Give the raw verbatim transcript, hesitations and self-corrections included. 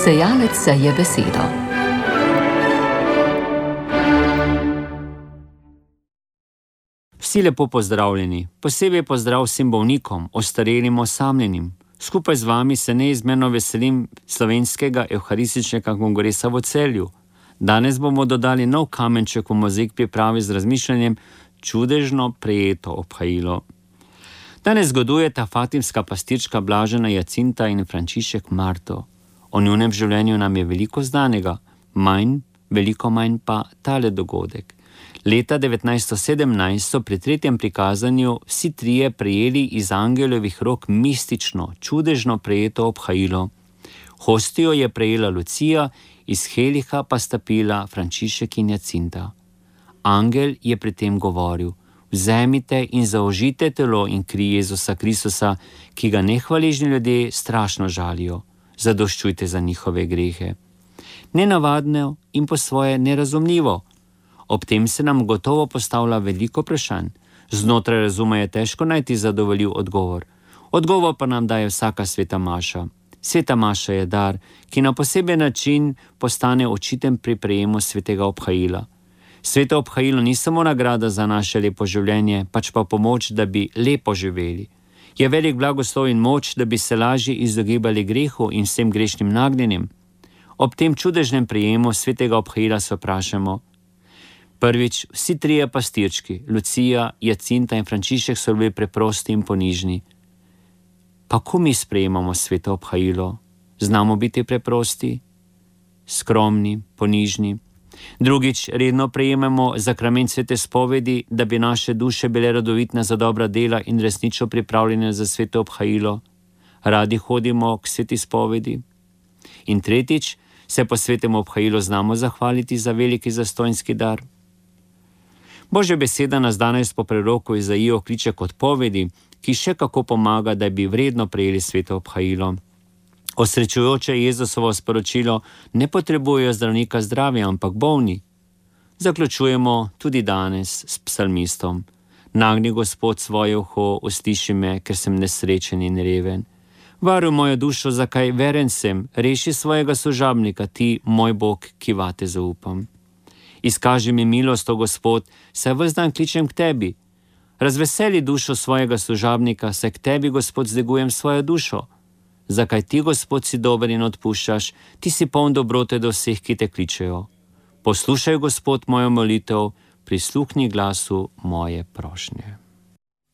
Sejalec seje besedo. Vsi lepo pozdravljeni, posebej pozdrav vsem bolnikom, ostarelim, osamljenim. Skupaj z vami se neizmerno veselim slovenskega evharističnega kongresa v Celju. Danes bomo dodali nov kamenček v mozaik pripravi z razmišljanjem čudežno prejeto obhajilo. Danes zgodujeta fatimska pastirčka Blažena Jacinta in Frančišek Marto. O njunem življenju nam je veliko znanega, manj, veliko manj pa tale dogodek. Leta devetnajststo sedemnajst so pri tretjem prikazanju vsi trije prejeli iz angelovih rok mistično, čudežno prejeto obhajilo. Hostijo je prejela Lucija, iz Heliha pa sta pila Frančišek in Jacinta. Angel je pri tem govoril: vzemite in zaužite telo in kri Jezusa Kristusa, ki ga nehvaležni ljudje strašno žalijo. Zadoščujte za njihove grehe. Nenavadno in po svoje nerazumljivo. Ob tem se nam gotovo postavlja veliko vprašanj. Znotraj razuma je težko najti zadovoljiv odgovor. Odgovor pa nam daje vsaka sveta maša. Sveta maša je dar, ki na poseben način postane očiten pri prejemu svetega obhajila. Sveto obhajilo ni samo nagrada za naše lepo življenje, pač pa pomoč, da bi lepo živeli. Je velik blagoslov in moč, da bi se lažje izogibali grehu in vsem grešnim nagnjenjem. Ob tem čudežnem prejemu svetega obhajila se vprašamo. Prvič, vsi trije pastirčki, Lucija, Jacinta in Frančišek, so bili preprosti in ponižni. Pa ko mi sprejemamo sveto obhajilo? Znamo biti preprosti, skromni, ponižni. Drugič, redno prejemamo zakrament svete spovedi, da bi naše duše bile radovitne za dobra dela in resnično pripravljene za sveto obhajilo. Radi hodimo k sveti spovedi. In tretjič, se po svetem obhajilu znamo zahvaliti za veliki zastojnski dar. Božja beseda nas danes po preroku Izaijo kliče k odpovedi, ki še kako pomaga, da bi vredno prejeli sveto obhajilo. Osrečujoče Jezusovo sporočilo: ne potrebujejo zdravnika zdravja, ampak bolni. Zaključujemo tudi danes s psalmistom: nagni Gospod svoje uho, usliši me, ker sem nesrečen in reven. Varuj mojo dušo, zakaj veren sem, reši svojega služabnika, ti, moj Bog, ki vate zaupam. Izkaži mi milost, o Gospod, saj ves dan kličem k tebi. Razveseli dušo svojega služabnika, saj k tebi, Gospod, zdigujem svojo dušo. Zakaj ti, Gospod, si dober in odpuščaš, ti si poln dobrote do vseh, ki te kličejo. Poslušaj, Gospod, mojo molitev, prisluhni glasu moje prošnje.